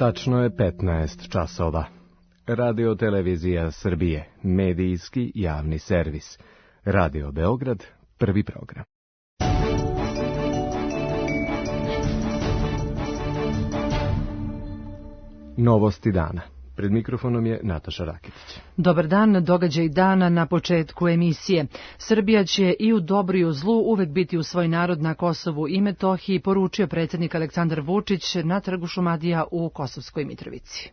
Tačno je 15 časova. Radio Televizija Srbije, medijski javni servis. Radio Beograd, prvi program. Novosti dana. Pred mikrofonom je Nataša Rakitić. Dobar dan, događaj dana na početku emisije. Srbija će i u dobru i u zlu uvek biti u svoj narod na Kosovu i Metohiji, poručio predsjednik Aleksandar Vučić na trgu Šumadija u Kosovskoj Mitrovici.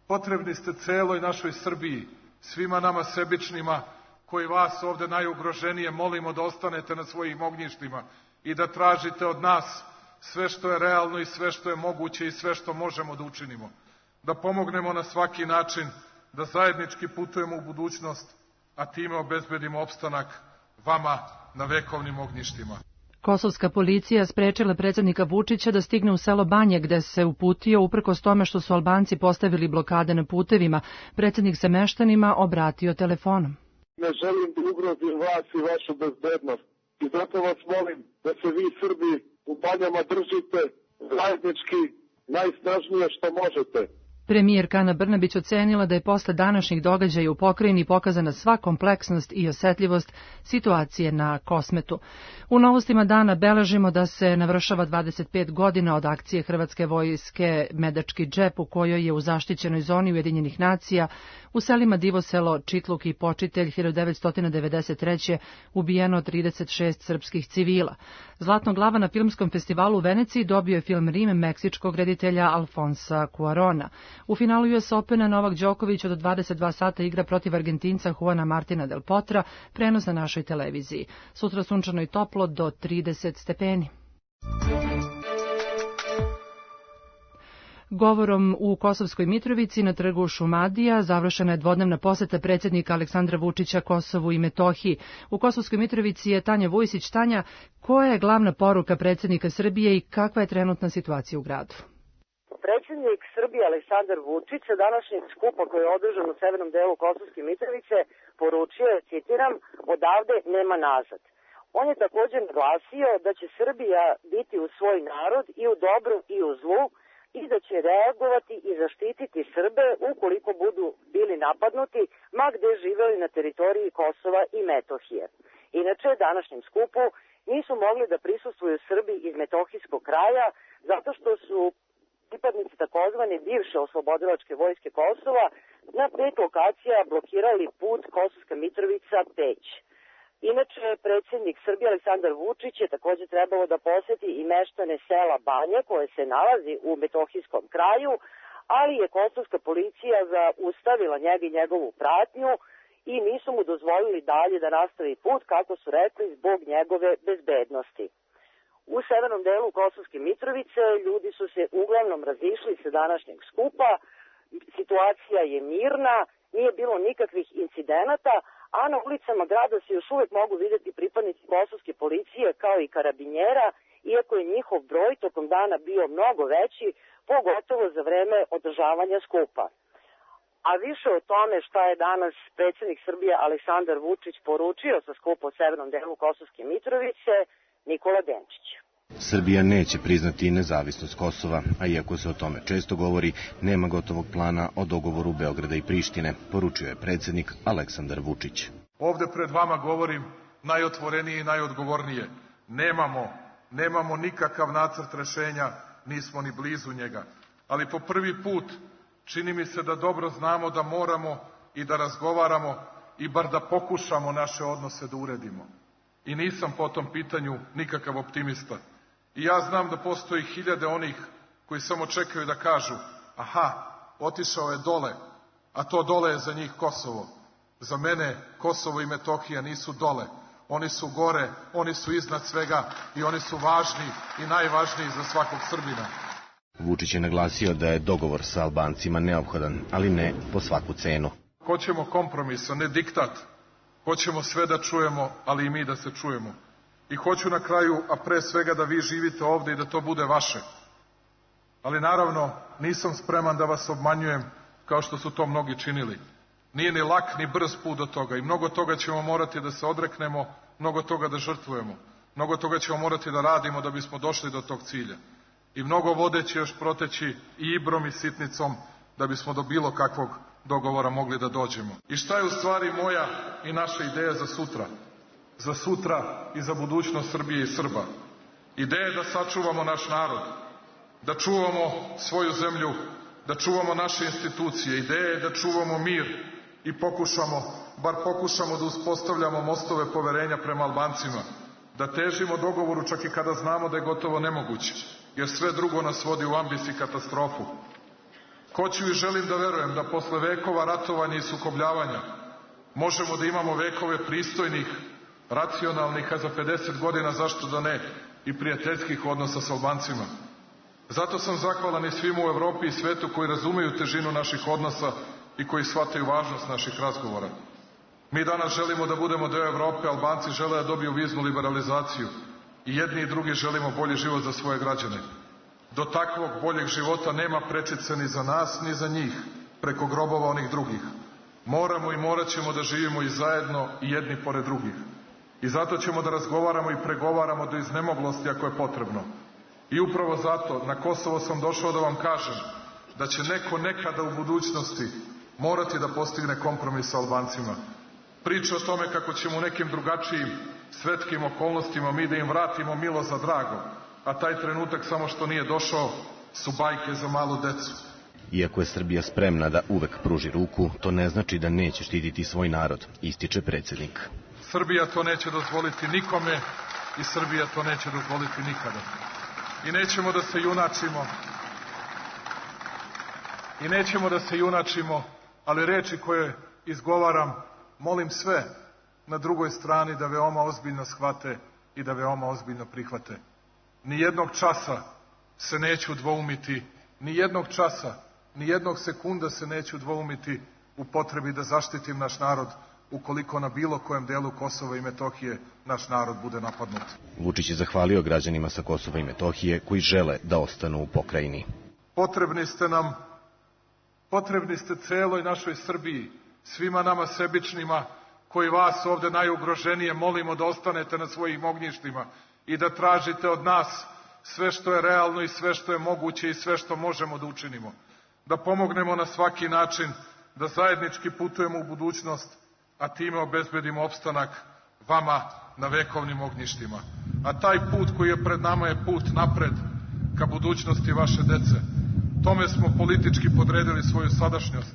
Potrebni ste celoj našoj Srbiji, svima nama sebičnima, koji vas ovde najugroženije molimo da ostanete na svojim ognjištima i da tražite od nas sve što je realno i sve što je moguće i sve što možemo da učinimo. Da pomognemo na svaki način, da zajednički putujemo u budućnost, a time obezbedimo opstanak vama na vekovnim ognjištima. Kosovska policija sprečila predsjednika Vučića da stigne u selo Banje, gde se uputio uprkos tome što su Albanci postavili blokade na putevima. Predsjednik se meštanima obratio telefonom. Ne želim da ugrozim vas i vašu bezbednost. I zato vas molim da se vi Srbi u Banjama držite zajednički najsnažnije što možete. Premijerka Ana Brnabić ocenila da je posle današnjih događaja u pokrajini pokazana sva kompleksnost i osjetljivost situacije na Kosmetu. U novostima dana beležimo da se navršava 25 godina od akcije Hrvatske vojske Medački džep, u kojoj je u zaštićenoj zoni Ujedinjenih nacija u selima Divoselo, Čitluk i Počitelj 1993. ubijeno 36 srpskih civila. Zlatno glava na filmskom festivalu u Veneciji dobio je film Rim meksičkog reditelja Alfonsa Cuarona. U finalu US Opena Novak Đoković od 22 sata igra protiv Argentinca Juana Martina del Potra, prenos na našoj televiziji. Sutra sunčano i toplo do 30 stepeni. Govorom u Kosovskoj Mitrovici na trgu Šumadija završena je dvodnevna poseta predsjednika Aleksandra Vučića Kosovu i Metohiji. U Kosovskoj Mitrovici je Tanja Vujsić. Tanja, koja je glavna poruka predsjednika Srbije i kakva je trenutna situacija u gradu? Predsjednik Srbije Aleksandar Vučić sa današnjeg skupa koji je održan u severnom delu Kosovske Mitrovice poručio je, citiram, odavde nema nazad. On je također naglasio da će Srbija biti u svoj narod i u dobru i u zlu i da će reagovati i zaštititi Srbe ukoliko budu bili napadnuti, ma gde živeli na teritoriji Kosova i Metohije. Inače, današnjem skupu nisu mogli da prisustvuju Srbi iz Metohijskog kraja zato što su pripadnici takozvane bivše oslobodilačke vojske Kosova na 5 lokacija blokirali put Kosovska Mitrovica-Peć. Inače, predsjednik Srbije Aleksandar Vučić je također trebalo da poseti i meštane sela Banje koje se nalazi u Metohijskom kraju, ali je kosovska policija zaustavila njega i njegovu pratnju i nisu mu dozvolili dalje da nastavi put, kako su rekli, zbog njegove bezbednosti. U severnom delu Kosovske Mitrovice ljudi su se uglavnom razišli sa današnjeg skupa, situacija je mirna, nije bilo nikakvih incidenata, a na ulicama grada se još uvijek mogu vidjeti pripadnici kosovske policije kao i karabinjera, iako je njihov broj tokom dana bio mnogo veći, pogotovo za vreme održavanja skupa. A više o tome šta je danas predsjednik Srbije Aleksandar Vučić poručio sa skupa u severnom delu Kosovske Mitrovice, Nikola Denčić. Srbija neće priznati nezavisnost Kosova, a iako se o tome često govori, nema gotovog plana o dogovoru Beograda i Prištine, poručio je predsjednik Aleksandar Vučić. Ovde pred vama govorim najotvorenije i najodgovornije. Nemamo nikakav nacrt rešenja, nismo ni blizu njega. Ali po prvi put čini mi se da dobro znamo da moramo i da razgovaramo i bar da pokušamo naše odnose da uredimo. I nisam po tom pitanju nikakav optimista. I ja znam da postoji hiljade onih koji samo čekaju da kažu, aha, otišao je dole, a to dole je za njih Kosovo. Za mene Kosovo i Metohija nisu dole, oni su gore, oni su iznad svega i oni su važni i najvažniji za svakog Srbina. Vučić je naglasio da je dogovor sa Albancima neophodan, ali ne po svaku cenu. Hoćemo kompromis, a ne diktat. Hoćemo sve da čujemo, ali i mi da se čujemo. I hoću na kraju, a pre svega da vi živite ovde i da to bude vaše. Ali naravno, nisam spreman da vas obmanjujem kao što su to mnogi činili. Nije ni lak ni brz put do toga i mnogo toga ćemo morati da se odreknemo, mnogo toga da žrtvujemo. Mnogo toga ćemo morati da radimo da bismo došli do tog cilja. i mnogo vode će još proteći i Ibrom i Sitnicom da bismo do bilo kakvog dogovora mogli da dođemo. I šta je u stvari moja i naša ideja za sutra? Za sutra i za budućnost Srbije i Srba. Ideja je da sačuvamo naš narod, da čuvamo svoju zemlju, da čuvamo naše institucije. Ideja je da čuvamo mir i bar pokušamo da uspostavljamo mostove poverenja prema Albancima, da težimo dogovoru čak i kada znamo da je gotovo nemoguće, jer sve drugo nas vodi u ambis i katastrofu. Hoću i želim da verujem da posle vekova ratovanja i sukobljavanja možemo da imamo vekove pristojnih, racionalnih, a za 50 godina, zašto da ne, i prijateljskih odnosa sa Albancima. Zato sam zahvalan i svima u Evropi i svetu koji razumeju težinu naših odnosa i koji shvataju važnost naših razgovora. Mi danas želimo da budemo deo Evrope, Albanci žele da dobiju viznu liberalizaciju i jedni i drugi želimo bolji život za svoje građane. Do takvog boljeg života nema prečice ni za nas, ni za njih, preko grobova onih drugih. Moramo i morat ćemo da živimo i zajedno i jedni pored drugih. I zato ćemo da razgovaramo i pregovaramo do iznemoglosti ako je potrebno. I upravo zato na Kosovo sam došao da vam kažem da će neko nekada u budućnosti morati da postigne kompromis sa Albancima. Priča o tome kako ćemo u nekim drugačijim svetskim okolnostima mi da im vratimo milo za drago, a taj trenutak samo što nije došao su bajke za malu decu. Iako je Srbija spremna da uvek pruži ruku, to ne znači da neće štititi svoj narod, ističe predsjednik. Srbija to neće dozvoliti nikome i Srbija to neće dozvoliti nikada. I nećemo da se junačimo, ali reči koje izgovaram, molim sve na drugoj strani da veoma ozbiljno shvate i da veoma ozbiljno prihvate. Nijednog časa se neću dvoumiti, nijednog časa, nijednog sekunda se neću dvoumiti u potrebi da zaštitim naš narod ukoliko na bilo kojem delu Kosova i Metohije naš narod bude napadnut. Vučić je zahvalio građanima sa Kosova i Metohije koji žele da ostanu u pokrajini. Potrebni ste celoj našoj Srbiji, svima nama sebičnima koji vas ovde najugroženije molimo da ostanete na svojim ognjištima i da tražite od nas sve što je realno i sve što je moguće i sve što možemo da učinimo. Da pomognemo na svaki način, da zajednički putujemo u budućnost, a time obezbedimo opstanak vama na vekovnim ognjištima. A taj put koji je pred nama je put napred ka budućnosti vaše dece. Tome smo politički podredili svoju sadašnjost.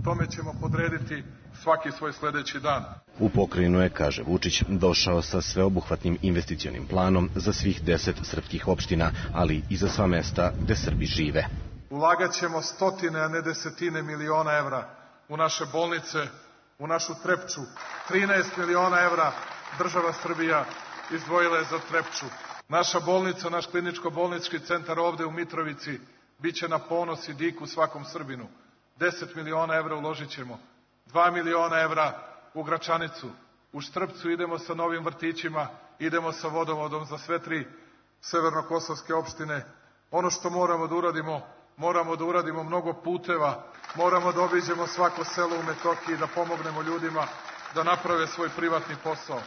Tome ćemo podrediti svaki svoj sledeći dan. U pokrajinu je, kaže Vučić, došao sa sveobuhvatnim investicionim planom za svih 10 srpskih opština, ali i za sva mesta gde Srbi žive. Ulagat ćemo stotine, a ne desetine miliona evra u naše bolnice, u našu Trepču. 13 miliona evra država Srbija izdvojila je za Trepču. Naša bolnica, naš kliničko-bolnički centar ovde u Mitrovici biće na ponos i diku svakom Srbinu. 10 miliona evra uložit ćemo. 2 miliona evra u Gračanicu. U Štrpcu idemo sa novim vrtićima, idemo sa vodovodom za sve 3 severnokosovske opštine. Ono što moramo da uradimo mnogo puteva, moramo da obiđemo svako selo u Metohiji, da pomognemo ljudima da naprave svoj privatni posao.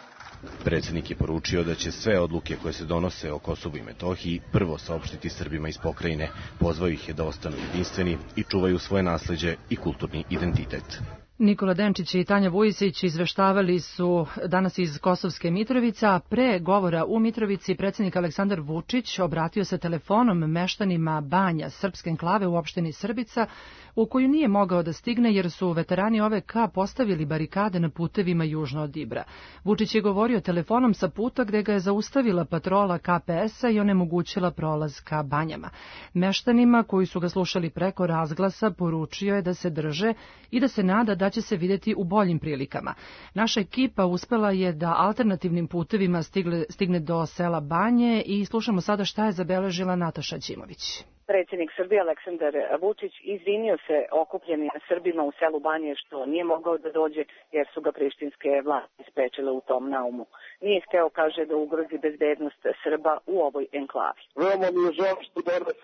Predsjednik je poručio da će sve odluke koje se donose o Kosovu i Metohiji prvo saopštiti Srbima iz pokrajine. Pozvao ih je da ostanu jedinstveni i čuvaju svoje nasleđe i kulturni identitet. Nikola Denčić i Tanja Vujisić izveštavali su danas iz Kosovske Mitrovice, a pre govora u Mitrovici predsjednik Aleksandar Vučić obratio se telefonom meštanima Banja, srpske enklave u opštini Srbica, u koju nije mogao da stigne jer su veterani OVK postavili barikade na putevima južno od Ibra. Vučić je govorio telefonom sa puta gde ga je zaustavila patrola KPS-a i onemogućila prolaz ka Banjama. Meštanima koji su ga slušali preko razglasa poručio je da se drže i da se nada da će se videti u boljim prilikama. Naša ekipa uspela je da alternativnim putevima stigne do sela Banje i slušamo sada šta je zabeležila Nataša Ćimović. Predsjednik Srbije Aleksandar Vučić izvinio se okupljenim Srbima u selu Banje što nije mogao da dođe jer su ga prištinske vlasti sprečile u tom naumu. Nije hteo, kaže, da ugrozi bezbednost Srba u ovoj enklavi. Veoma mi je žao što danas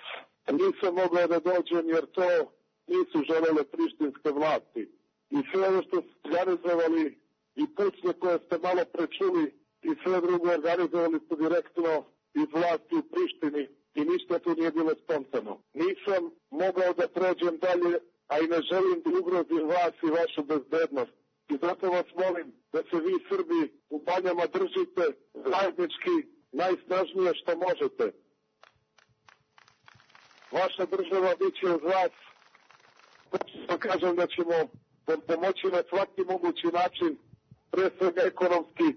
nisam mogao da dođem jer to nisu želele prištinske vlasti. I sve ono što ste organizovali i pucnje koje ste malo prečuli i sve drugo organizovali ste direktno iz vlasti u Prištini. i ništa tu nije bilo spontano. Nisam mogao da prođem dalje, a i ne želim da ugrozim vas i vašu bezbednost. I zato vas molim da se vi Srbi u Banjama držite zajednički najsnažnije što možete. Vaša država bit će uz vas. Da kažem da ćemo pomoći na svaki mogući način, pre svega ekonomski,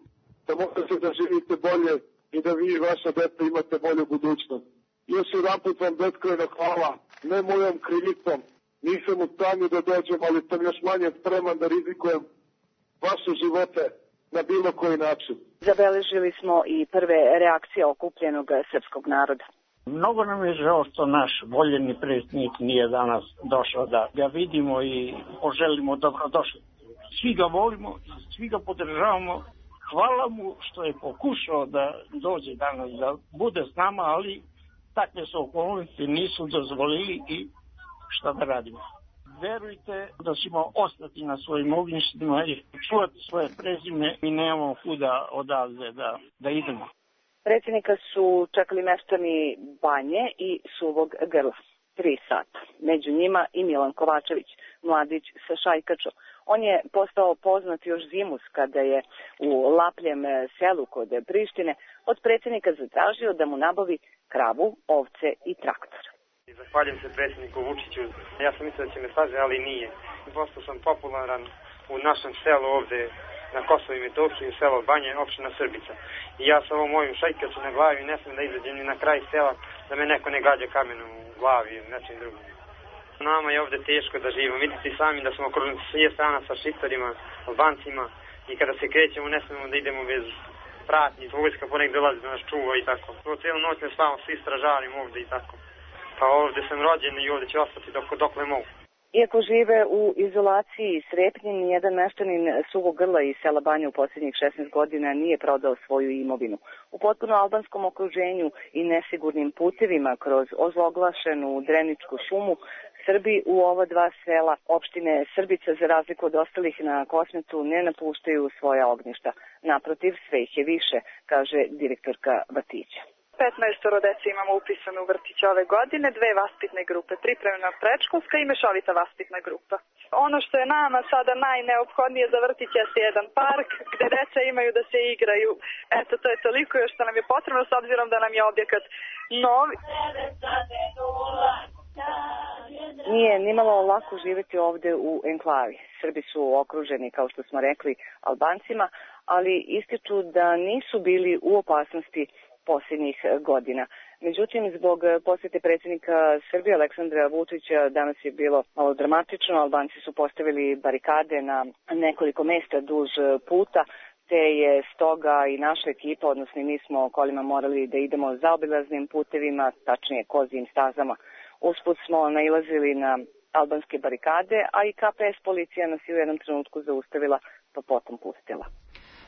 da možete da živite bolje i da vi i vaša deca imate bolju budućnost. Još jedan put vam beskrajno hvala, ne mojom krivicom. Nisam u stanju da dođem, ali sam još manje spreman da rizikujem vaše živote na bilo koji način. Zabeležili smo i prve reakcije okupljenog srpskog naroda. Mnogo nam je žao što naš voljeni predsjednik nije danas došao da ga vidimo i poželimo dobrodošli. Svi ga volimo, svi ga podržavamo. Hvala mu što je pokušao da dođe danas, da bude s nama, ali takve su okolnosti nisu dozvolili i šta da radimo. Verujte da ćemo ostati na svojim ognjištima i čuvati svoje prezime i nemamo kuda odavde da idemo. Predsjednika su čekali meštani Banje i Suvog Grla. 3 sata. Među njima i Milan Kovačević, mladić sa šajkačom. On je postao poznat još zimus kada je u Lapljem selu kod Prištine od predsjednika zatražio da mu nabavi kravu, ovce i traktor. Zahvaljujem se predsjedniku Vučiću. Ja sam mislio da će me saže, ali nije. Postao sam popularan u našem selu ovde na Kosovo i Metohiji, selo Banje, opština Srbica. I ja sa ovom mojom šajkaču na glavi ne smijem da izađem ni na kraj sela, da me neko ne gađa kamenom u glavi ili nečim drugim. Nama je ovde teško da živimo. Vidite i sami da smo okruženi s sve strana sa Šiptarima, Albancima i kada se krećemo ne smijemo da idemo bez pratnji. Vojska ponekad dolazi da nas čuva i tako. Cijelu noć ne spavamo, svi stražarimo ovde i tako. Pa ovde sam rođen i ovde ću ostati dokle mogu. Iako žive u izolaciji i strepnji, nijedan meštanin Suvog Grla iz sela Banja u posljednjih 16 godina nije prodao svoju imovinu. U potpuno albanskom okruženju i nesigurnim putevima kroz ozloglašenu Dreničku šumu, Srbi u ova 2 sela opštine Srbica, za razliku od ostalih na Kosmetu, ne napuštaju svoja ognjišta. Naprotiv, sve ih je više, kaže direktorka vrtića. 15 dece imamo upisano u vrtić ove godine, 2 vaspitne grupe, pripremna predškolska i mešovita vaspitna grupa. Ono što je nama sada najneophodnije za vrtić je jedan park gde deca imaju da se igraju. Eto, to je toliko još što nam je potrebno s obzirom da nam je objekat novi. Nije nimalo lako živjeti ovde u enklavi. Srbi su okruženi, kao što smo rekli, Albancima, ali ističu da nisu bili u opasnosti posljednjih godina. Međutim, zbog posjete predsjednika Srbije Aleksandra Vučića danas je bilo malo dramatično. Albanci su postavili barikade na nekoliko mesta duž puta, te je stoga i naša ekipa, odnosno mi smo kolima morali da idemo zaobilaznim putevima, tačnije kozijim stazama. Usput smo nailazili na albanske barikade, a i KPS policija nas je u jednom trenutku zaustavila, pa potom pustila.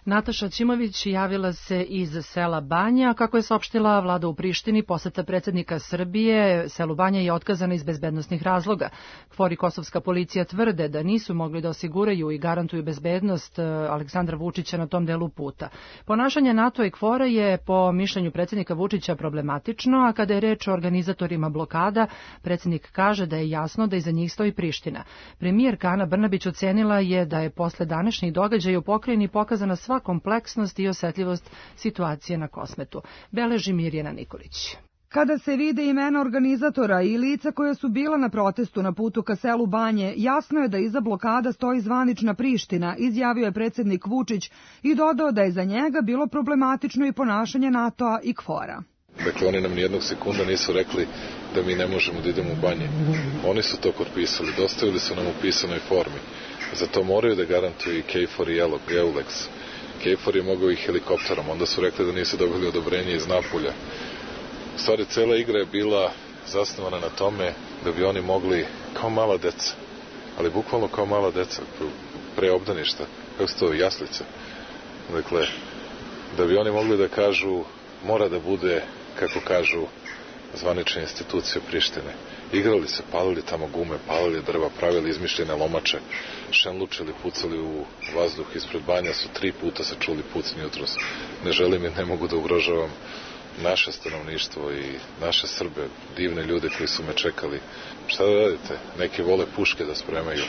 Nataša Ćimović javila se iz sela Banja. Kako je saopštila vlada u Prištini, poseta predsjednika Srbije selu Banja je otkazana iz bezbednosnih razloga. KFOR i kosovska policija tvrde da nisu mogli da osiguraju i garantuju bezbednost Aleksandra Vučića na tom delu puta. Ponašanje NATO i KFOR-a je po mišljenju predsjednika Vučića problematično, a kada je reč o organizatorima blokada, predsjednik kaže da je jasno da iza njih stoji Priština. Premijerka Ana Brnabić ocenila je da je posle današnjih događaja u pokrajini pokazana sva kompleksnost i osetljivost situacije na Kosmetu. Beleži Mirjana Nikolić. Kada se vide imena organizatora i lica koja su bila na protestu na putu ka selu Banje, jasno je da iza blokada stoji zvanična Priština, izjavio je predsjednik Vučić i dodao da je za njega bilo problematično i ponašanje NATO-a i KFOR-a. Dakle, oni nam nijednog sekunda nisu rekli da mi ne možemo da idemo u Banje. Oni su to potpisali, dostavili su nam u pisanoj formi. Za to moraju da garantuju i KFOR i EULEX. KFOR je mogao i helikopterom, onda su rekli da nisu dobili odobrenje iz Napulja. U stvari, cela igra je bila zasnovana na tome da bi oni mogli, kao mala deca, ali bukvalno kao mala deca, pre obdaništa, kako se to, jaslice. Dakle, da bi oni mogli da kažu, mora da bude, kako kažu, zvanične institucije Prištine. Igrali se, palili tamo gume, palili drva, pravili izmišljene lomače, šenlučili, pucali u vazduh ispred Banja, su 3 puta se čuli pucnji jutros. Ne želim i ne mogu da ugrožavam naše stanovništvo i naše Srbe, divne ljude koji su me čekali. Šta da radite? Neki vole puške da spremaju.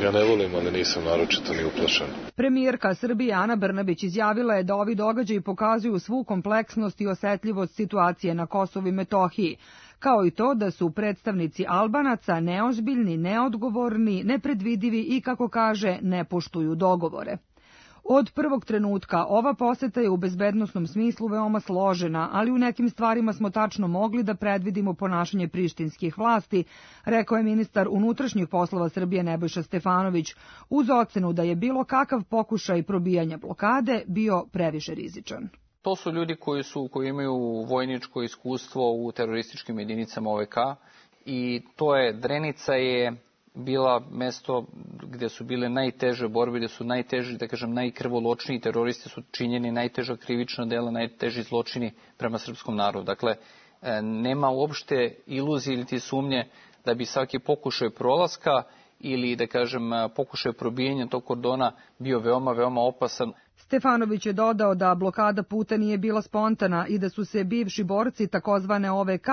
Ja ne volim, ali nisam naročito ni uplašen. Premijerka Srbije Ana Brnabić izjavila je da ovi događaji pokazuju svu kompleksnost i osetljivost situacije na Kosovu i Metohiji, kao i to da su predstavnici Albanaca neozbiljni, neodgovorni, nepredvidivi i, kako kaže, ne poštuju dogovore. Od prvog trenutka ova poseta je u bezbednosnom smislu veoma složena, ali u nekim stvarima smo tačno mogli da predvidimo ponašanje prištinskih vlasti, rekao je ministar unutrašnjih poslova Srbije Nebojša Stefanović, uz ocenu da je bilo kakav pokušaj probijanja blokade bio previše rizičan. To su ljudi koji imaju vojničko iskustvo u terorističkim jedinicama OVK i Drenica je bila mesto gde su bile najteže borbe, gde su najteži, da kažem, najkrvoločniji teroristi su činjeni najteža krivična dela, najteži zločini prema srpskom narodu. Dakle, nema uopšte iluzije ili sumnje da bi svaki pokušaj prolaska ili, da kažem, pokušaj probijanja tog kordona bio veoma, veoma opasan. Stefanović je dodao da blokada puta nije bila spontana i da su se bivši borci takozvane OVK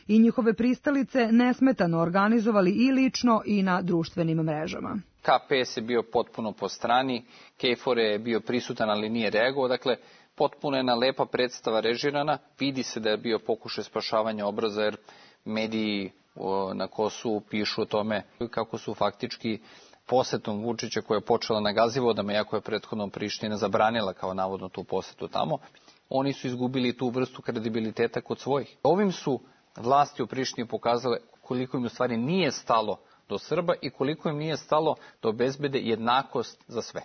i njihove pristalice nesmetano organizovali i lično i na društvenim mrežama. KPS je bio potpuno po strani, KFOR je bio prisutan, ali nije reagovao. Dakle, potpuno jedna lepa predstava režirana. Vidi se da je bio pokušaj spašavanja obraza, jer mediji na Kosovu pišu o tome kako su faktički posetom Vučića, koja je počela na Gazivodama, iako je prethodno Priština zabranila kao navodno tu posetu tamo, oni su izgubili tu vrstu kredibiliteta kod svojih. Ovim su vlasti u Prištini pokazale koliko im u stvari nije stalo do Srba i koliko im nije stalo da obezbede jednakost za sve.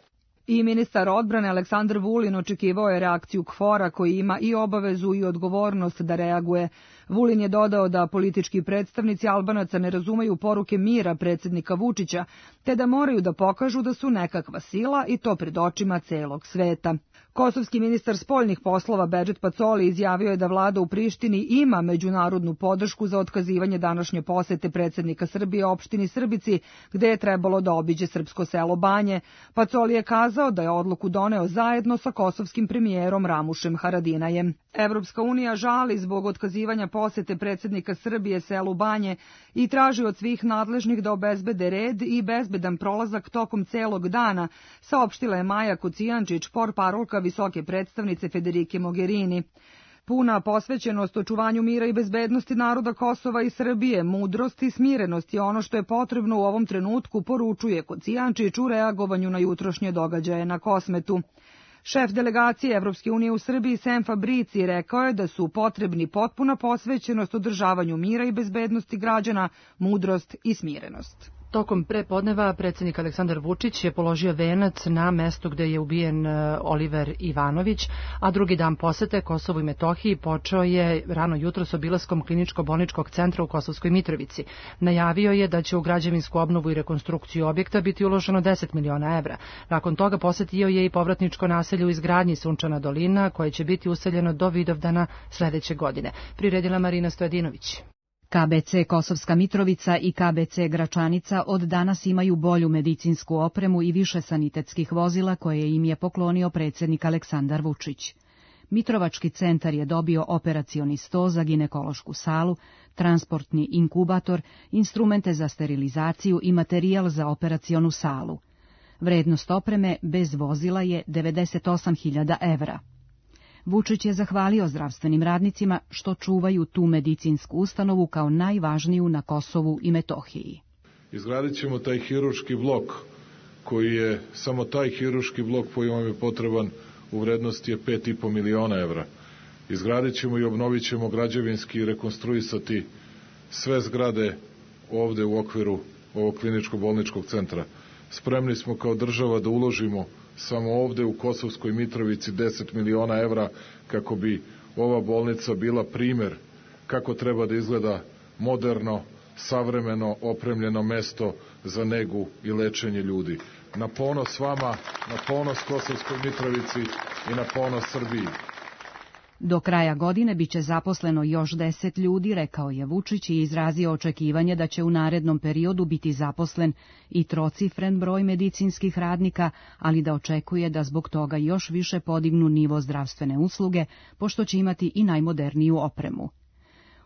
I ministar odbrane Aleksandar Vulin očekivao je reakciju KFOR-a, koji ima i obavezu i odgovornost da reaguje. Vulin je dodao da politički predstavnici Albanaca ne razumeju poruke mira predsjednika Vučića, te da moraju da pokažu da su nekakva sila i to pred očima celog sveta. Kosovski ministar spoljnih poslova Bedžet Pacoli izjavio je da vlada u Prištini ima međunarodnu podršku za otkazivanje današnje posete predsjednika Srbije opštini Srbici, gde je trebalo da obiđe srpsko selo Banje. Pacoli je kazao da je odluku doneo zajedno sa kosovskim premijerom Ramušem Haradinajem. Evropska unija žali zbog otkazivanja posete predsjednika Srbije selu Banje i traži od svih nadležnih da obezbede red i bezbedan prolazak tokom celog dana, saopštila je Maja Kocijančić, portparolka visoke predstavnice Federike Mogherini. Puna posvećenost očuvanju mira i bezbednosti naroda Kosova i Srbije, mudrost i smirenost je ono što je potrebno u ovom trenutku, poručuje Kocijančić u reagovanju na jutrošnje događaje na Kosmetu. Šef delegacije Evropske unije u Srbiji Sem Fabrici rekao je da su potrebni potpuna posvećenost održavanju mira i bezbednosti građana, mudrost i smirenost. Tokom prepodneva predsjednik Aleksandar Vučić je položio venac na mestu gde je ubijen Oliver Ivanović, a drugi dan posete Kosovu i Metohiji počeo je rano jutro s obilaskom kliničko-bolničkog centra u Kosovskoj Mitrovici. Najavio je da će u građevinsku obnovu i rekonstrukciju objekta biti uloženo 10 miliona evra. Nakon toga posetio je i povratničko naselje u izgradnji Sunčana dolina, koje će biti useljeno do Vidovdana sledeće godine. Priredila Marina Stojadinović. KBC Kosovska Mitrovica i KBC Gračanica od danas imaju bolju medicinsku opremu i više sanitetskih vozila koje im je poklonio predsjednik Aleksandar Vučić. Mitrovački centar je dobio operacioni sto za ginekološku salu, transportni inkubator, instrumente za sterilizaciju i materijal za operacionu salu. Vrednost opreme bez vozila je 98.000 evra. Vučić je zahvalio zdravstvenim radnicima što čuvaju tu medicinsku ustanovu kao najvažniju na Kosovu i Metohiji. Izgradit ćemo taj hirurški blok, koji je, samo taj hirurški blok koji vam je potreban u vrednosti je 5,5 miliona evra. Izgradit ćemo i obnovit ćemo građevinski i rekonstruisati sve zgrade ovde u okviru ovog kliničko-bolničkog centra. Spremni smo kao država da uložimo samo ovde u Kosovskoj Mitrovici 10 miliona evra kako bi ova bolnica bila primer kako treba da izgleda moderno, savremeno, opremljeno mesto za negu i lečenje ljudi. Na ponos vama, na ponos Kosovskoj Mitrovici i na ponos Srbiji. Do kraja godine biće zaposleno još 10 ljudi, rekao je Vučić i izrazio očekivanje da će u narednom periodu biti zaposlen i trocifren broj medicinskih radnika, ali da očekuje da zbog toga još više podignu nivo zdravstvene usluge, pošto će imati i najmoderniju opremu.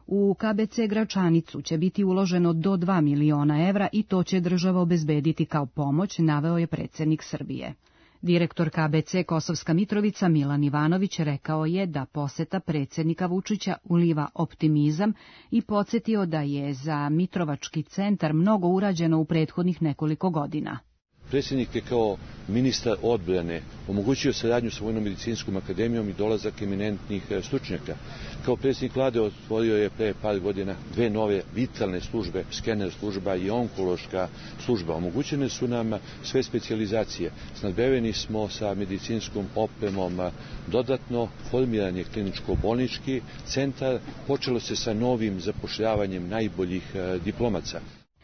U KBC Gračanicu će biti uloženo do 2 miliona evra i to će država obezbediti kao pomoć, naveo je predsjednik Srbije. Direktor KBC Kosovska Mitrovica Milan Ivanović rekao je da poseta predsjednika Vučića uliva optimizam i podsjetio da je za Mitrovački centar mnogo urađeno u prethodnih nekoliko godina. Predsjednik je kao ministar odbrane omogućio saradnju sa Vojno-medicinskom akademijom i dolazak eminentnih stručnjaka. Kao predsjednik vlade otvorio je pre par godina 2 nove vitalne službe, skener služba i onkološka služba. Omogućene su nam sve specijalizacije. Snadbeveni smo sa medicinskom opremom. Dodatno formiran je kliničko-bolnički centar. Počelo se sa novim zapošljavanjem najboljih diplomaca.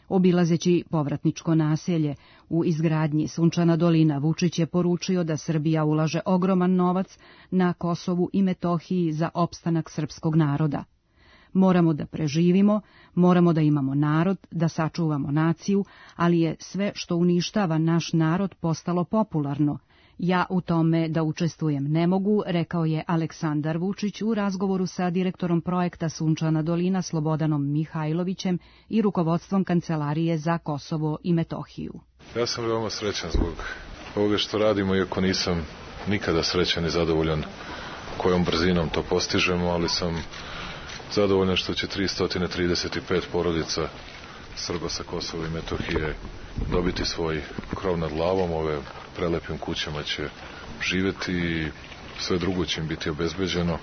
Obilazeći povratničko naselje u izgradnji Sunčana dolina, Vučić je poručio da Srbija ulaže ogroman novac na Kosovu i Metohiji za opstanak srpskog naroda. Moramo da preživimo, moramo da imamo narod, da sačuvamo naciju, ali je sve što uništava naš narod postalo popularno. Ja u tome da učestvujem ne mogu, rekao je Aleksandar Vučić u razgovoru sa direktorom projekta Sunčana dolina Slobodanom Mihajlovićem i rukovodstvom Kancelarije za Kosovo i Metohiju. Ja sam veoma srećan zbog ovoga što radimo, iako nisam nikada srećan i zadovoljan kojom brzinom to postižemo, ali sam zadovoljan što će 335 porodica Srba sa Kosova i Metohije dobiti svoj krov nad glavom, ove prelepim kućama će živeti i sve drugo će im biti obezbeđeno.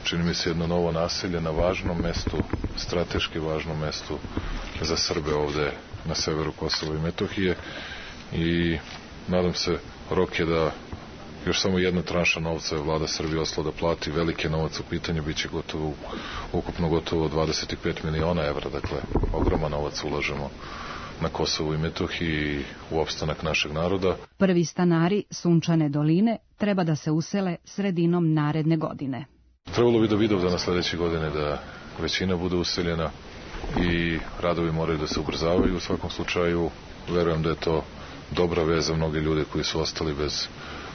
Čini mi se jedno novo naselje na važnom mestu, strateški važnom mestu za Srbe ovde na severu Kosova i Metohije i nadam se, rok je da još samo jedna tranša novca je vlada Srbije osla da plati, veliki novac u pitanju, bit će ukupno gotovo 25 miliona evra, dakle ogroman novac ulažemo na Kosovu i Metohiji u opstanak našeg naroda. Prvi stanari Sunčane doline treba da se usele sredinom naredne godine. Trebalo bi do Vidovdana sledeće godine da većina bude useljena i radovi moraju da se ubrzavaju. U svakom slučaju verujem da je to dobra vez za mnoge ljude koji su ostali bez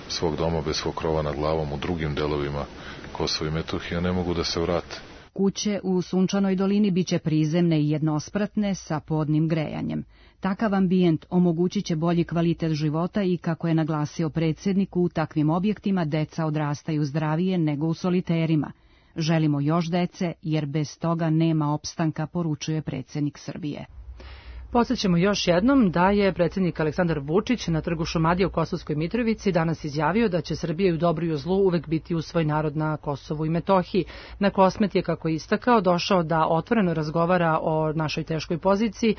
svog doma, bez svog krova nad glavom u drugim delovima Kosova i Metohije, ne mogu da se vrate. Kuće u Sunčanoj dolini biće prizemne i jednospratne sa podnim grejanjem. Takav ambijent omogućit će bolji kvalitet života i, kako je naglasio predsjednik, u takvim objektima deca odrastaju zdravije nego u soliterima. Želimo još dece, jer bez toga nema opstanka, poručuje predsjednik Srbije. Podsjećamo još jednom da je predsjednik Aleksandar Vučić na trgu Šumadije u Kosovskoj Mitrovici danas izjavio da će Srbija u dobru i u zlu uvek biti uz svoj narod na Kosovu i Metohiji. Na Kosmet je, kako je istakao, došao da otvoreno razgovara o našoj teškoj poziciji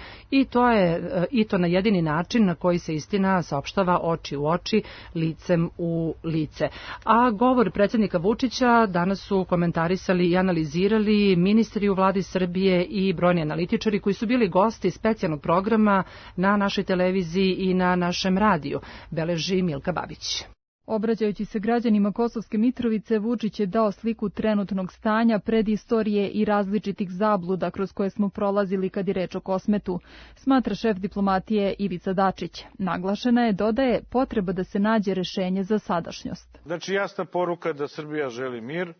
i to na jedini način na koji se istina saopštava oči u oči, licem u lice. A govor predsjednika Vučića danas su komentarisali i analizirali ministri u vladi Srbije i brojni analitičari koji su bili gosti specijalnog programa na našoj televiziji i na našem radiju, beleži Milka Babić. Obraćajući se građanima Kosovske Mitrovice, Vučić je dao sliku trenutnog stanja, predistorije i različitih zabluda kroz koje smo prolazili kad je reč o Kosmetu, smatra šef diplomatije Ivica Dačić. Naglašena je, dodaje, potreba da se nađe rešenje za sadašnjost. Znači, jasna poruka da Srbija želi mir,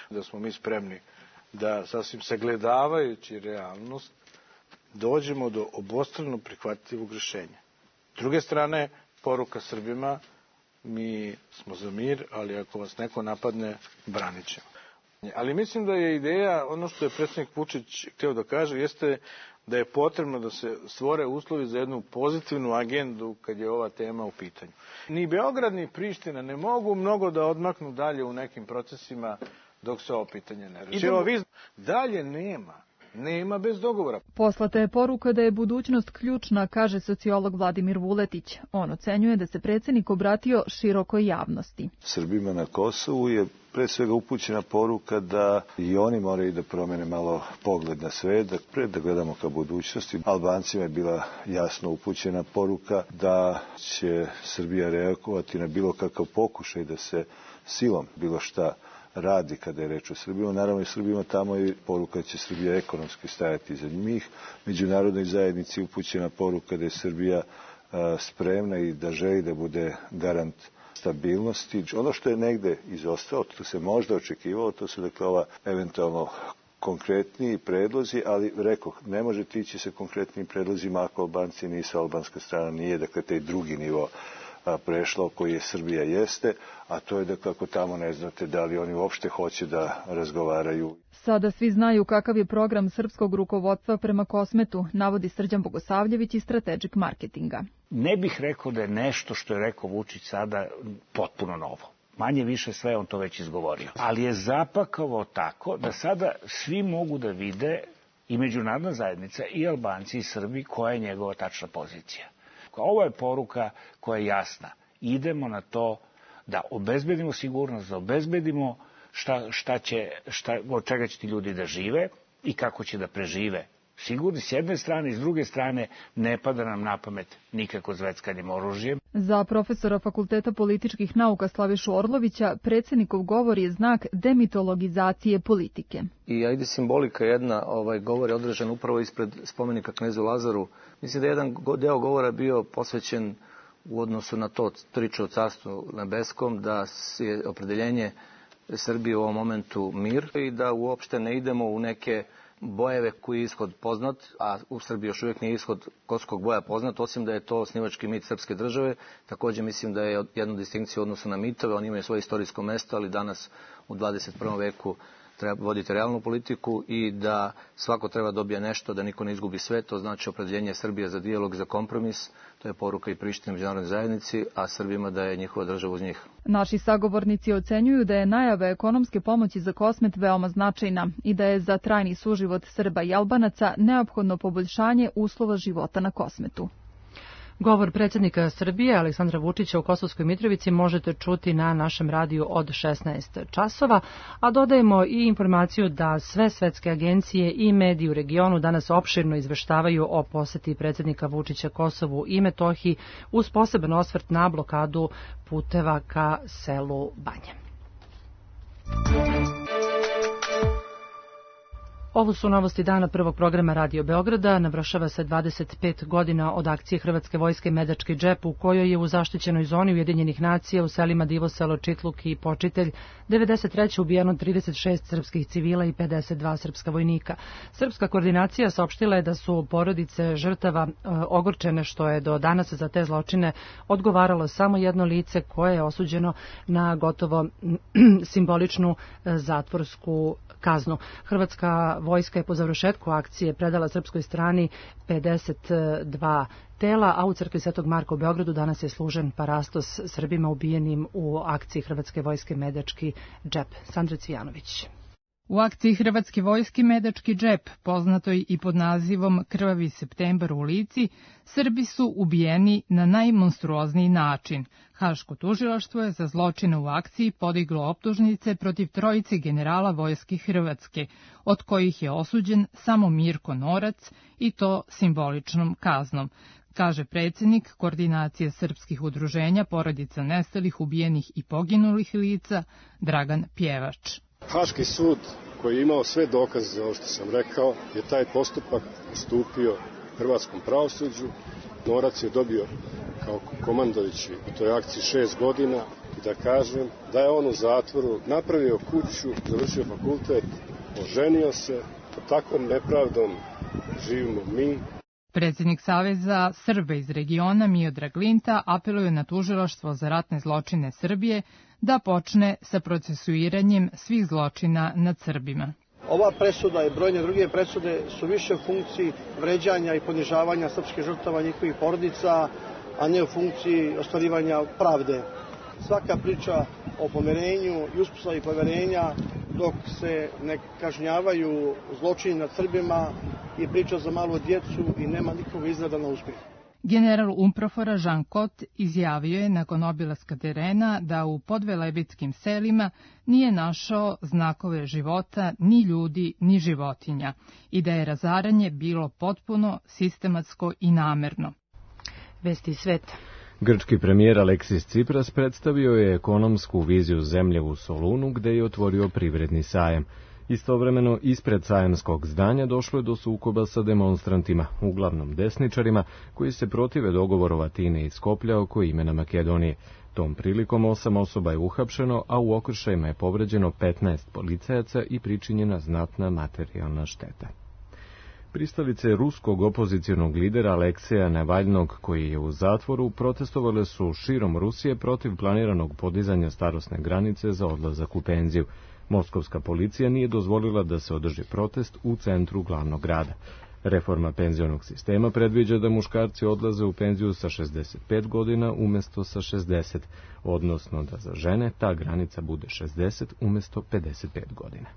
da smo mi spremni da sasvim sagledavajući realnost dođemo do obostrano prihvatljivog rješenja. S druge strane, poruka Srbima, mi smo za mir, ali ako vas neko napadne, branit ćemo. Ali mislim da je ideja, ono što je predsjednik Vučić htio da kaže, jeste da je potrebno da se stvore uslovi za jednu pozitivnu agendu kad je ova tema u pitanju. Ni Beograd ni Priština ne mogu mnogo da odmaknu dalje u nekim procesima dok se ovo pitanje ne reši. Dalje nema bez dogovora. Poslata je poruka da je budućnost ključna, kaže sociolog Vladimir Vuletić. On ocenjuje da se predsjednik obratio širokoj javnosti. Srbima na Kosovu je pre svega upućena poruka da i oni moraju da promene malo pogled na sve, da gledamo ka budućnosti. Albancima je bila jasno upućena poruka da će Srbija reagovati na bilo kakav pokušaj da se silom bilo šta radi kada je reč o Srbima. Naravno i Srbima tamo je poruka da će Srbija ekonomski stajati iza njih. Međunarodnoj zajednici upućena poruka da je Srbija spremna i da želi da bude garant stabilnosti. Ono što je negde izostalo, to se možda očekivalo, to su dakle ova eventualno konkretniji predlozi, ali rekoh, ne možete ići sa konkretnim predlozima ako Albanci nisu, albanska strana nije, dakle taj drugi nivo prešlo koji je Srbija jeste, a to je da kako tamo ne znate da li oni uopšte hoće da razgovaraju. Sada svi znaju kakav je program srpskog rukovodstva prema Kosmetu, navodi Srđan Bogosavljević iz Strategic Marketinga. Ne bih rekao da je nešto što je rekao Vučić sada potpuno novo. Manje više sve on to već izgovorio. Ali je zapakao tako da sada svi mogu da vide, i međunarodna zajednica, i Albanci, i Srbi, koja je njegova tačna pozicija. Ovo je poruka koja je jasna. Idemo na to da obezbedimo sigurnost, da obezbedimo od čega će ti ljudi da žive i kako će da prežive. Sigurni s jedne strane i s druge strane ne pada nam na pamet nikako zveckanjem oružjem. Za profesora Fakulteta političkih nauka Slavišu Orlovića predsjednikov govor je znak demitologizacije politike. I ajde simbolika jedna, govor je održan upravo ispred spomenika knezu Lazaru. Mislim da je jedan deo govora bio posvećen u odnosu na to priču o carstvu nebeskom, da je opredeljenje Srbije u ovom momentu mir i da uopšte ne idemo u neke bojeve koji je ishod poznat, a u Srbiji još uvijek nije ishod kosovskog boja poznat, osim da je to osnivački mit srpske države. Također mislim da je jedna distinkcija u odnosu na mitove, oni imaju svoje istorijsko mesto, ali danas u 21. veku treba voditi realnu politiku i da svako treba dobije nešto, da niko ne izgubi sve, to znači opredeljenje Srbije za dijalog, za kompromis, to je poruka i Prištine međunarodnoj zajednici, a Srbima da je njihova država uz njih. Naši sagovornici ocenjuju da je najava ekonomske pomoći za Kosmet veoma značajna i da je za trajni suživot Srba i Albanaca neophodno poboljšanje uslova života na Kosmetu. Govor predsjednika Srbije Aleksandra Vučića u Kosovskoj Mitrovici možete čuti na našem radiju od 16 časova, a dodajemo i informaciju da sve svetske agencije i mediji u regionu danas opširno izveštavaju o poseti predsjednika Vučića Kosovu i Metohiji uz poseban osvrt na blokadu puteva ka selu Banje. Ovo su novosti dana prvog programa Radio Beograda. Navršava se 25 godina od akcije Hrvatske vojske Medački džep, u kojoj je u zaštićenoj zoni Ujedinjenih nacija u selima Divoselo, Čitluk i Počitelj 93. ubijeno 36 srpskih civila i 52 srpska vojnika. Srpska koordinacija saopštila je da su porodice žrtava ogorčene što je do danas za te zločine odgovaralo samo jedno lice koje je osuđeno na gotovo simboličnu zatvorsku kaznu. Hrvatska vojska je po završetku akcije predala srpskoj strani 52 tela, a u crkvi Svetog Marka u Beogradu danas je služen parastos Srbima ubijenim u akciji Hrvatske vojske Medački džep. Sandra Cvijanović. U akciji Hrvatske vojske Medački džep, poznatoj i pod nazivom Krvavi septembar u Lici, Srbi su ubijeni na najmonstruozniji način. Haško tužilaštvo je za zločine u akciji podiglo optužnice protiv trojice generala vojske Hrvatske, od kojih je osuđen samo Mirko Norac i to simboličnom kaznom, kaže predsjednik Koordinacije srpskih udruženja porodica nestalih, ubijenih i poginulih lica Dragan Pjevač. Haški sud koji je imao sve dokaze za ovo što sam rekao je taj postupak ustupio hrvatskom pravosuđu. Norac je dobio kao komandovići u toj akciji 6 godina i da kažem da je on u zatvoru napravio kuću, završio fakultet, oženio se, pod takvom nepravdom živimo mi. Predsjednik Saveza Srba iz regiona Miodrag Linta apeluje na tužilaštvo za ratne zločine Srbije da počne sa procesuiranjem svih zločina nad Srbima. Ova presuda i brojne druge presude su više u funkciji vređanja i ponižavanja srpskih žrtava i njihovih porodica, a ne u funkciji ostvarivanja pravde. Svaka priča o pomirenju i uspostavi poverenja dok se ne kažnjavaju zločini nad Srbima i priča za malu djecu i nema nikog izgleda na uspjeh. General Umprofora Jean Cot izjavio je nakon obilaska terena da u podvelebitskim selima nije našao znakove života ni ljudi ni životinja i da je razaranje bilo potpuno sistematsko i namerno. Vesti iz sveta. Grčki premijer Aleksis Tsipras predstavio je ekonomsku viziju zemlje u Solunu, gde je otvorio privredni sajam. Istovremeno, ispred sajamskog zdanja došlo je do sukoba sa demonstrantima, uglavnom desničarima, koji se protive dogovoru Atine i Skoplja oko imena Makedonije. Tom prilikom 8 osoba je uhapšeno, a u okršajima je povređeno 15 policajaca i pričinjena znatna materijalna šteta. Pristalice ruskog opozicionog lidera Alekseja Navalnog, koji je u zatvoru, protestovale su širom Rusije protiv planiranog podizanja starosne granice za odlazak u penziju. Moskovska policija nije dozvolila da se održi protest u centru glavnog grada. Reforma penzionog sistema predviđa da muškarci odlaze u penziju sa 65 godina umjesto sa 60, odnosno da za žene ta granica bude 60 umjesto 55 godina.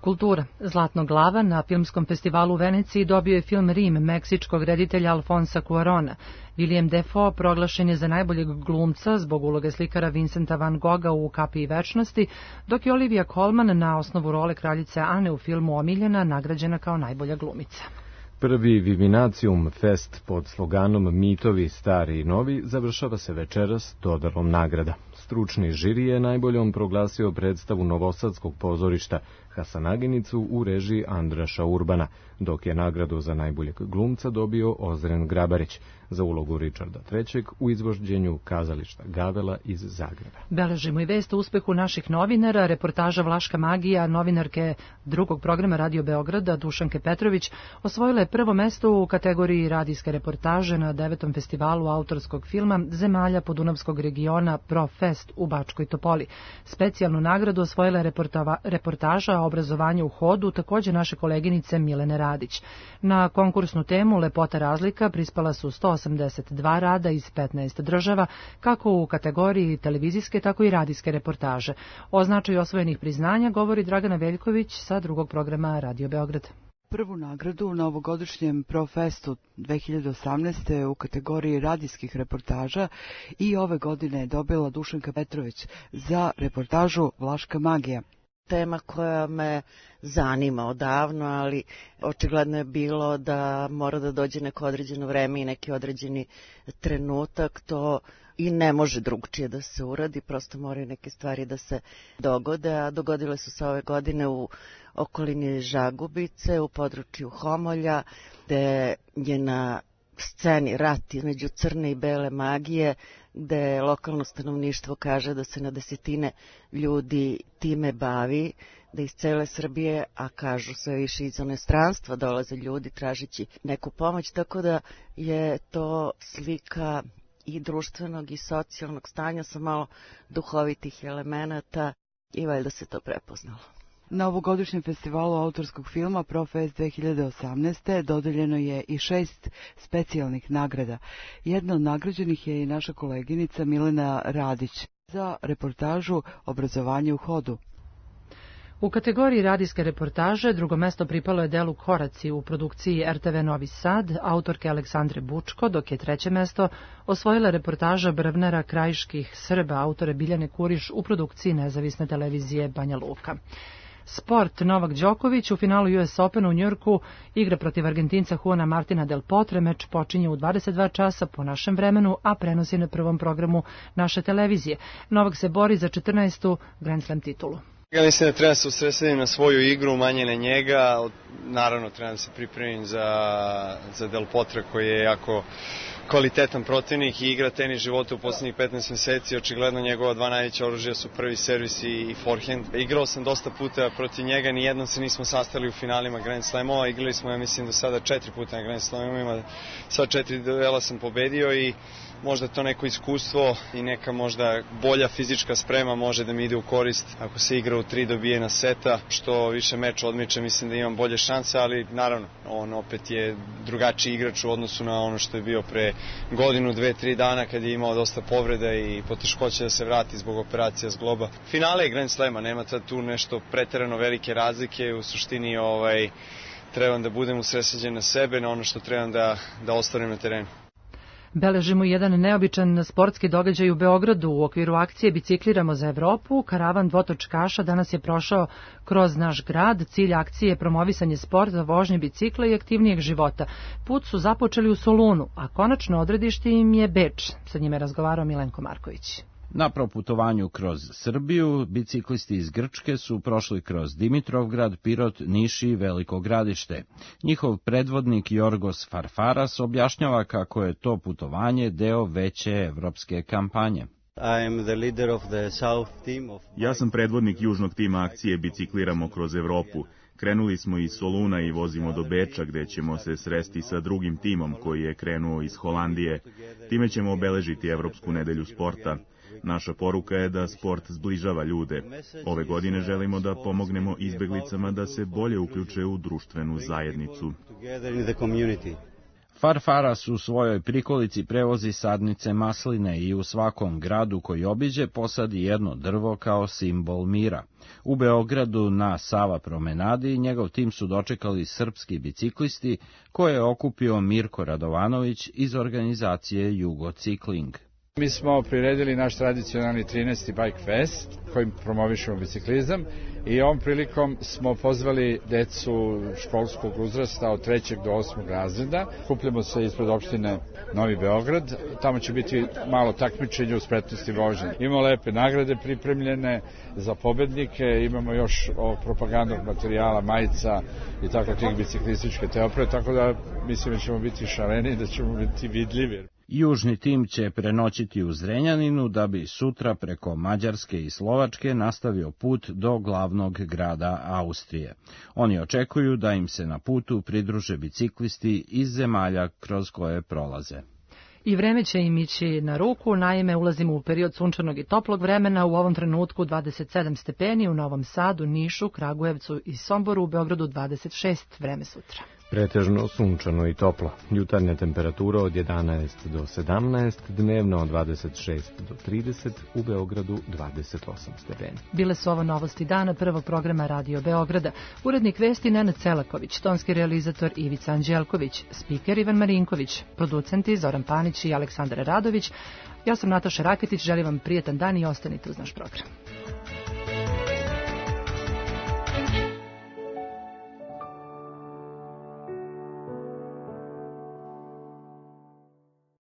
Kultura. Zlatno glava na filmskom festivalu u Veneciji dobio je film Rim meksičkog reditelja Alfonsa Cuarona. William Dafoe proglašen je za najboljeg glumca zbog uloge slikara Vincenta van Gogha u Kapiji večnosti, dok je Olivia Colman na osnovu role kraljice Ane u filmu Omiljena nagrađena kao najbolja glumica. Prvi Vivinacium Fest pod sloganom Mitovi, stari i novi završava se večeras dodelom nagrada. Stručni žiri je najboljom proglasio predstavu Novosadskog pozorišta Hasanaginicu u režiji Andraša Urbana, dok je nagradu za najboljeg glumca dobio Ozren Grabarić za ulogu Richarda III u izvođenju kazališta Gavela iz Zagreba. Beležimo i vest o uspehu naših novinara. Reportaža Vlaška magija novinarke drugog programa Radio Beograda Dušanke Petrović osvojila je prvo mesto u kategoriji radijske reportaže na 9. festivalu autorskog filma zemalja Podunavskog regiona ProFest u Bačkoj Topoli. Specijalnu nagradu osvojila je reportaža o obrazovanju u hodu, također naše koleginice Milene Radić. Na konkursnu temu Lepota razlika prispala su 182 rada iz 15 država, kako u kategoriji televizijske, tako i radijske reportaže. O značaju osvojenih priznanja govori Dragana Veljković sa drugog programa Radio Beograd. Prvu nagradu na ovogodišnjem ProFestu 2018. u kategoriji radijskih reportaža i ove godine je dobila Dušanka Petrović za reportažu Vlaška magija. Tema koja me zanima odavno, ali očigledno je bilo da mora da dođe neko određeno vreme i neki određeni trenutak, to i ne može drugčije da se uradi, prosto moraju neke stvari da se dogode, a dogodile su se ove godine u okolini Žagubice, u području Homolja, gde je na sceni rat između crne i bele magije, gde lokalno stanovništvo kaže da se na desetine ljudi time bavi, da iz cele Srbije, a kažu sve više iz inostranstva dolaze ljudi tražići neku pomoć, tako da je to slika i društvenog i socijalnog stanja sa malo duhovitih elemenata i valjda se to prepoznalo. Na ovogodišnjem festivalu autorskog filma ProFest 2018. dodeljeno je i 6 specijalnih nagrada. Jedna od nagrađenih je i naša koleginica Milena Radić za reportažu Obrazovanje u hodu. U kategoriji radijske reportaže drugo mesto pripalo je delu Koraci u produkciji RTV Novi Sad, autorke Aleksandre Bučko, dok je treće mesto osvojila reportaža Brvnara krajiških Srba, autore Biljane Kuriš u produkciji nezavisne televizije Banja Luka. Sport. Novak Đoković u finalu US Opena u Njujorku igra protiv Argentinca Juana Martina del Potre. Meč počinje u 22 časa po našem vremenu, a prenosi na prvom programu naše televizije. Novak se bori za 14. Grand Slam titulu. Ja mislim da treba se usredsrediti na svoju igru, manje na njega. Naravno, treba da se pripremim za Del Potre koji je jako kvalitetan protivnik i igra tenis života u posljednjih 15 meseci. Očigledno njegova dva najveća oružja su prvi servis i forehand. Igrao sam dosta puta protiv njega, nijednom se nismo sastali u finalima Grand Slamova. Igrali smo, ja mislim, do sada 4 puta na Grand Slamovima. Sva 4 duela sam pobedio i možda to neko iskustvo i neka možda bolja fizička sprema može da mi ide u korist. Ako se igra u 3 dobijena seta, što više meč odmiče, mislim da imam bolje šanse, ali naravno, on opet je drugačiji igrač u odnosu na ono što je bio pre godinu, 2-3 dana kad je imao dosta povreda i poteškoće da se vrati zbog operacija zgloba. Finale je Grand Slema, nema tu nešto preterano velike razlike, u suštini trebam da budem usredsređen na sebe, na ono što trebam da ostvarim na terenu. Beležimo jedan neobičan sportski događaj u Beogradu. U okviru akcije Bicikliramo za Evropu, karavan dvotočkaša danas je prošao kroz naš grad. Cilj akcije je promovisanje sporta, vožnje bicikla i aktivnijeg života. Put su započeli u Solunu, a konačno odredište im je Beč. Sa njime je razgovarao Milenko Marković. Na proputovanju kroz Srbiju, biciklisti iz Grčke su prošli kroz Dimitrovgrad, Pirot, Niš i Veliko Gradište. Njihov predvodnik Jorgos Farfaras objašnjava kako je to putovanje deo veće evropske kampanje. Ja sam predvodnik južnog tima akcije Bicikliramo kroz Evropu. Krenuli smo iz Soluna i vozimo do Beča, gde ćemo se sresti sa drugim timom koji je krenuo iz Holandije. Time ćemo obeležiti Evropsku nedelju sporta. Naša poruka je da sport zbližava ljude. Ove godine želimo da pomognemo izbeglicama da se bolje uključe u društvenu zajednicu. Farfaras u svojoj prikolici prevozi sadnice masline i u svakom gradu koji obiđe posadi jedno drvo kao simbol mira. U Beogradu na Sava promenadi njegov tim su dočekali srpski biciklisti koje je okupio Mirko Radovanović iz organizacije Jugo Cikling. Mi smo priredili naš tradicionalni 13. Bike Fest kojim promovišemo biciklizam i ovom prilikom smo pozvali decu školskog uzrasta od 3. do 8. razreda. Kupljamo se ispred opštine Novi Beograd. Tamo će biti malo takmičenje u spretnosti vožnje. Imamo lepe nagrade pripremljene za pobednike, imamo još propagandnog materijala, majica i tako tih biciklističke teopre, tako da mislim da ćemo biti šareni, da ćemo biti vidljivi. Južni tim će prenoćiti u Zrenjaninu da bi sutra preko Mađarske i Slovačke nastavio put do glavnog grada Austrije. Oni očekuju da im se na putu pridruže biciklisti iz zemalja kroz koje prolaze. I vreme će im ići na ruku, naime ulazimo u period sunčanog i toplog vremena, u ovom trenutku 27 stepeni, u Novom Sadu, Nišu, Kragujevcu i Somboru, u Beogradu 26, vreme sutra. Pretežno sunčano i toplo. Jutarnja temperatura od 11 do 17, dnevno od 26 do 30, u Beogradu 28 stepeni. Bile su ovo novosti dana prvog programa Radio Beograda. Urednik vesti Nenad Celaković, tonski realizator Ivica Anđelković, spiker Ivan Marinković, producenti Zoran Panić i Aleksandar Radović. Ja sam Nataša Raketić, želim vam prijetan dan i ostanite uz naš program.